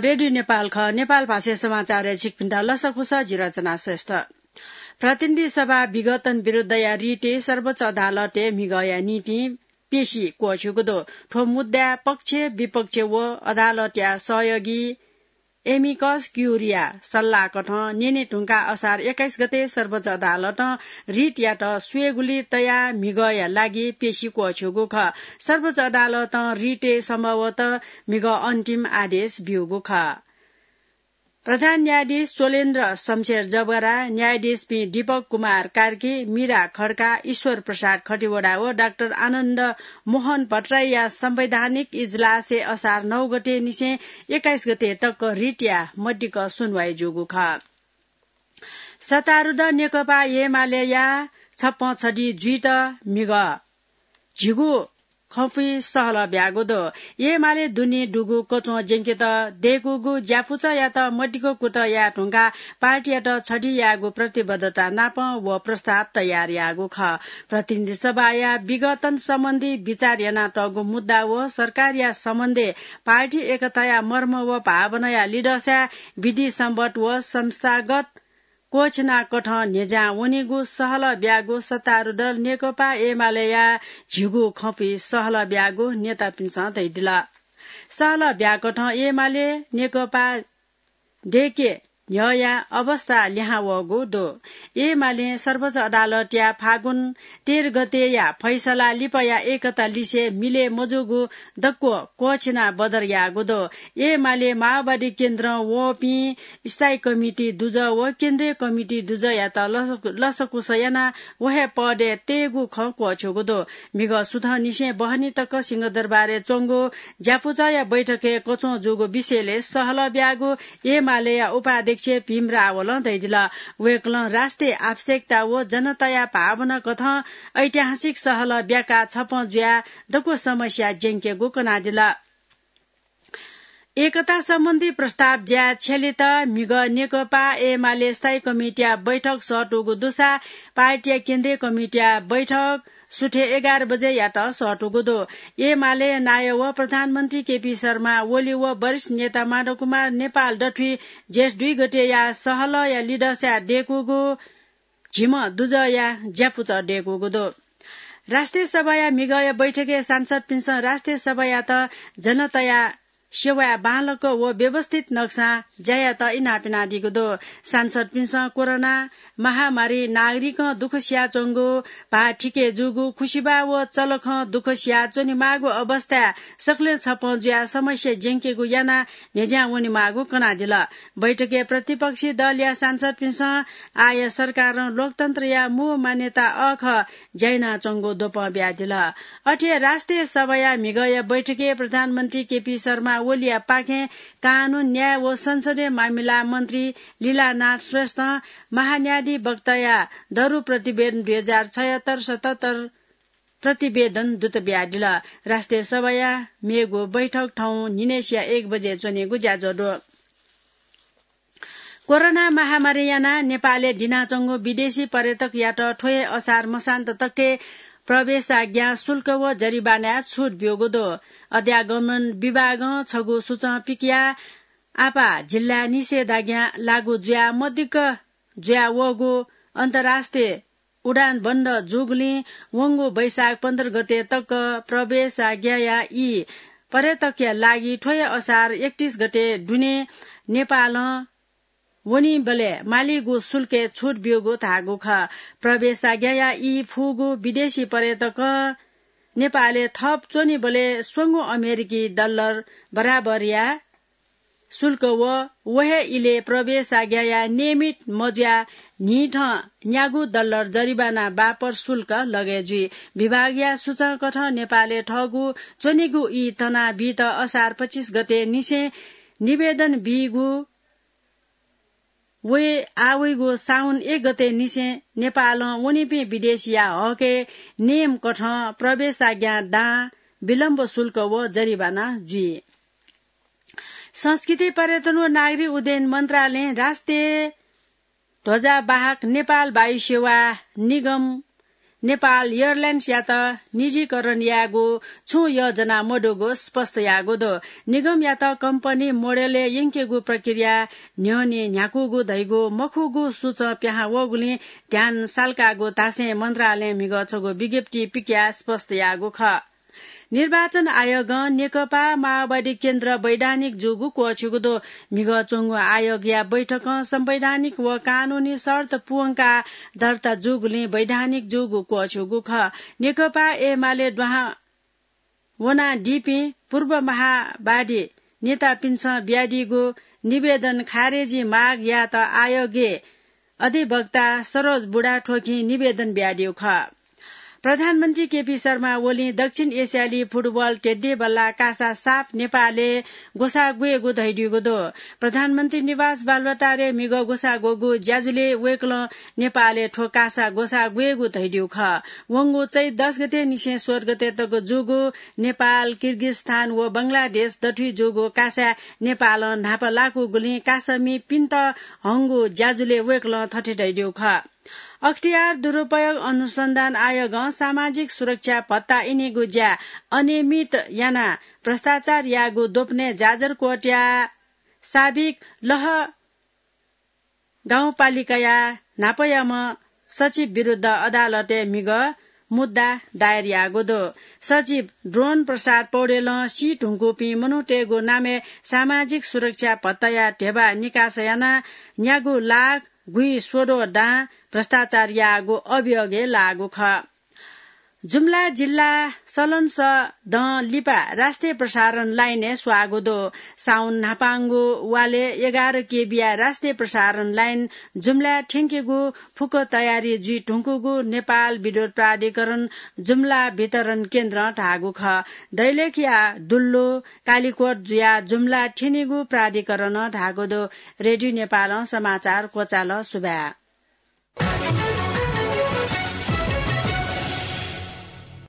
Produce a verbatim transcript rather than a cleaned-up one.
रेडियो नेपाल खः। नेपाल भाषाया समाचारय् छिकपिन्त लसकुस, जि रचना श्रेष्ठ। प्रतिनिधि सभा विघटन विरुद्धया रिटय् सर्वोच्च अदालतय् म्हिगःया निंतिं पेशी क्वःछ्यूगु दु। थ्व मुद्दाय् पक्ष, विपक्ष व अदालतया सहयोगी amicus curiae सल्लाहकथं न्यने धुंकाः असार एक्काइस गते सर्वोच्च अदालतं रिटयात स्वयेगुली तयाः म्हिगःया लागि पेशी क्वःछ्यूगु खः। सर्वोच्च अदालतं रिटय् सम्भवतः म्हिगः अन्तिम आदेश ब्यूगु खः। प्रधान न्यायाधीश चोलेन्द्र शमशेर जबरा, न्यायाधीशपिं दीपक कुमार कार्की, मीरा खड्का, ईश्वर प्रसाद खतिवडा व डाक्टर आनन्द मोहन भट्टराईया संवैधानिक इजलासय् असार नौ गते निसें एक्काइस गते तक रिटया मदिक्क सुनवाई जूगु खः। सत्तारूढ नेकपा एमालेया छप्पँ छधि जुइत म्हिगः झिगू खँपुइ सहलह ब्यागु दु। एमाले दुने दुगु कच्वं ज्यंकेत दय्कूगु ज्यापुचःयात मदिक्क कुतः याये धुंकाः पार्टीयात छधि यायेगु प्रतिबद्धता नाप व प्रस्ताव तयार याःगु खः। प्रतिनिधि सभाया विघटन सम्बन्धी विचार यानातःगु मुद्दा व सरकारया सम्बन्धय् पार्टी एकताया मर्म व भावनाया लिधःसाय् विधि सम्बद्ध व संस्थागत क्वःछिनाकथं न्ह्यज्यां वनीगु सहलह ब्यागु सत्तारूढ नेकपा एमालेया झिगू खँपुइ सहलह ब्यागु नेतापिन्सं धयादिल। सहलह ब्याकथं एमाले नेकपा दय्के न्ह्यःया अवस्था लिहां वःगु दु। एमालें सर्वोच्च अदालतया फागुन तेह्र गतेया फैसला लिपाया एकता लिसे मिले मजूगु दक्व क्वःछिना बदर याःगु दु। एमाले माओवादी केन्द्रं वःपिं स्थायी कमिटी दुजः व केन्द्रीय कमिटी दुजःयात लस-, लसकुस यानाः व हे पदय् तयेगु खँ क्वःछ्यूगु दु। म्हिगः सुथंनिसें बहनी तक सिंहदरबारय् च्वंगु ज्यापुचःया बैठकय् कच्वं जूगु विषयलय् सहलह ब्यागु एमालेया उपाध्यक्ष भीम रावलं धयादिल। वय्कलं राष्ट्रिय आवश्यकता व जनताया भावना कथं ऐतिहासिक सहलह ब्याकाः छप्पँ जुयाः दक्व समस्या ज्यंकेगु कनादिल। एकता सम्बन्धी प्रस्ताव ज्याय् छ्यलेत म्हिगः नेकपा एमाले स्थायी कमिटीया बैठक सःतूगु दुसा पार्टीया केन्द्रीय कमिटीया बैठक सुथय् एघार बजेयात सःतूगु दु। एमाले नायः व प्रधानमन्त्री केपी शर्मा ओली व वरिष्ठ नेता माधव कुमार नेपाल दथुइ जेठ दुई गतेया सहलहया लिधःसाय् दय्कूगु झिम्ह दुजःया ज्यापुचः दय्कूगु दु। राष्ट्रिय सभाया म्हिगःया बैठकय् सांसदपिन्सं राष्ट्रिय सभायात जनताया सेवाय् बांलाक व व्यवस्थित नक्सां ज्या यायेत इनाप यानादीगु दु। सांसदपिन्सं कोरोना महामारी नागरिकं दुःख सियाच्वंगु, भाः थिके जूगु, खुसिबाः व चलखं दुःख सियाच्वनेमाःगु अवस्थाय् सकलें छप्पँ जुयाः समस्या ज्यंकेगु यानाः न्ह्यज्यां वनेमाःगु कनादिल। बैठकय् प्रतिपक्षी दलया सांसदपिन्सं आःया सरकारं लोकतन्त्रया मू मान्यता अःखः ज्या यानाच्वंगु द्वपं बियादिल। अथे राष्ट्रिय सभाया म्हिगःया बैठकय् प्रधानमन्त्री केपी शर्मा ओलीया पाखें कानून, न्याय व संसदीय मामिला मन्त्री लीलानाथ श्रेष्ठं महान्यायाधिवक्ताया दरु प्रतिवेदन दुई हजार छयत्तर सतहत्तर प्रतिवेदन दुत बियादिल। राष्ट्रिय सभाया मेगु बैठक थौं न्हिनय्सिया एक बजे च्वनेगु ज्याझ्वः दु। कोरोना महामारी यानाः नेपालय् दिनाच्वंगु विदेशी पर्यटकयात थ्व हे असार मसान्त तकय् प्रवेशाज्ञा शुल्क व जरिवानाय् छुट ब्यूगु दु। अध्यागमन विभागं छगू सूचं पिकयाः आपाः जिल्लाय् निषेधाज्ञा लागू जुयाः मदिक्क जुयावःगु अन्तर्राष्ट्रिय उडान बन्द जूगुलिं वंगु वैशाख पन्ध्र गते तक प्रवेशाज्ञाया ई पर्यटकया लागि थ्व हे असार एकतीस गते दुने नेपालं वनीबलय् मालीगु शुल्कय् छुट ब्यूगु धाःगु खः। प्रवेशाज्ञाया ई फुगु विदेशी पर्यटकं नेपालय् थप च्वनीबलय् स्वंगू अमेरिकी डलर बराबरया शुल्क व व हे इलय् प्रवेशाज्ञाया नियमित मजुयाः न्हिथं न्यागू डलर जरिवाना बापत शुल्क लगय् जुइ। विभागया सूचंकथं नेपालय् थःगु च्वनीगु ई तनाबीत असार पच्चिस गते निसें निवेदन बीगु व आः वइगु साउन एक गते निसें नेपालं वनीपिं विदेशीया हकय् नियमकथं प्रवेशाज्ञा दां, विलम्ब शुल्क व जरिवाना जुइ। संस्कृति, पर्यटन व नागरिक उड्डयन मन्त्रालयं राष्ट्रिय ध्वजावाहक नेपाल वायु सेवा निगम नेपाल एयरलाइन्सयात निजीकरण यायेगु छुं योजना मदुगु स्पष्ट याःगु दु। निगमयात कम्पनी मोडेलय् यंकेगु प्रक्रिया न्ह्यःने न्ह्याकूगु धइगु मखुगु सूचं पिहां वःगुलिं ध्यान साल्काःगु धासें मन्त्रालयं म्हिगः छगू विज्ञप्ति पिकयाः स्पष्ट याःगु खः। निर्वाचन आयोगं नेकपा माओवादी केन्द्र वैधानिक जूगु क्वःछिउगु दु। म्हिगः च्वंगु आयोगया बैठकं संवैधानिक व कानूनी शर्त पूवंकाः दर्ता जूगुलिं वैधानिक जूगु क्वःछिउगु खः। नेकपा एमाले दुहां वनादीपिं पूर्व माओवादी नेतापिन्सं बियादीगु निवेदन खारेजी माग यायेत आयोगय् अधिवक्ता सरोज बुढाथोकीं निवेदन बियादीगु खः। प्रधानमन्त्री केपी शर्मा ओलीं दक्षिण एसियाली फुटबल ध्येध्येबल्लाः कासा साफ नेपालय् ग्वसाः ग्वयेगु धयादीगु दु। प्रधानमन्त्री निवास बालुवाटारय् म्हिगः ग्वसाः ग्वःगु ज्याझ्वलय् वय्कलं नेपालय् थ्व कासा ग्वसाः ग्वयेगु धयादीगु खः। वंगु चैत दस गते निसें सोह्र गते तक जूगु नेपाल, किर्गिस्तान व बंगलादेश दथुइ जूगु कासाय् नेपालं न्हापा लाकूगुलिं कासामिपिन्त हंगु ज्याझ्वलय् वय्कलं थथे धयादीगु खः। अख्तियार दुरुपयोग अनुसन्धान आयोगं सामाजिक सुरक्षा भत्ता इनेगु ज्या अनियमित यानाः भ्रष्टाचार याःगु द्वपनय् जाजरकोटया साबिक लह गाउँपालिकाया न्हापायाम्ह सचिव विरुद्ध अदालतय् म्हिगः मुद्दा दायर याःगु दु। सचिव द्रोण प्रसाद पौडेलं सी धुंकूपिं मनूतय्गु नामय् सामाजिक सुरक्षा भत्ताया ध्यबा निकास यानाः न्यागू लाख गुइस्वदँ दां भ्रष्टाचार याःगु अभियोगय् लाःगु खः। जुम्ला जिल्ला सलनसदँ लिपा राष्ट्रिय प्रसारण लाइनय् स्वाःगु दु। साउन न्हापांगु वालय् एघार केबीया राष्ट्रिय प्रसारण लाइन जुम्लाय् थ्यंकेगु फुक्क तयारी जुइ धुंकूगु नेपाल विद्युत प्राधिकरण जुम्ला वितरण केन्द्रं धाःगु खः। दैलेखया दुल्लु कालिकोट जुयाः जुम्ला थ्यनीगु प्राधिकरणं धाःगु दु। रेडियो नेपालं समाचार क्वचाल। सुभाय्।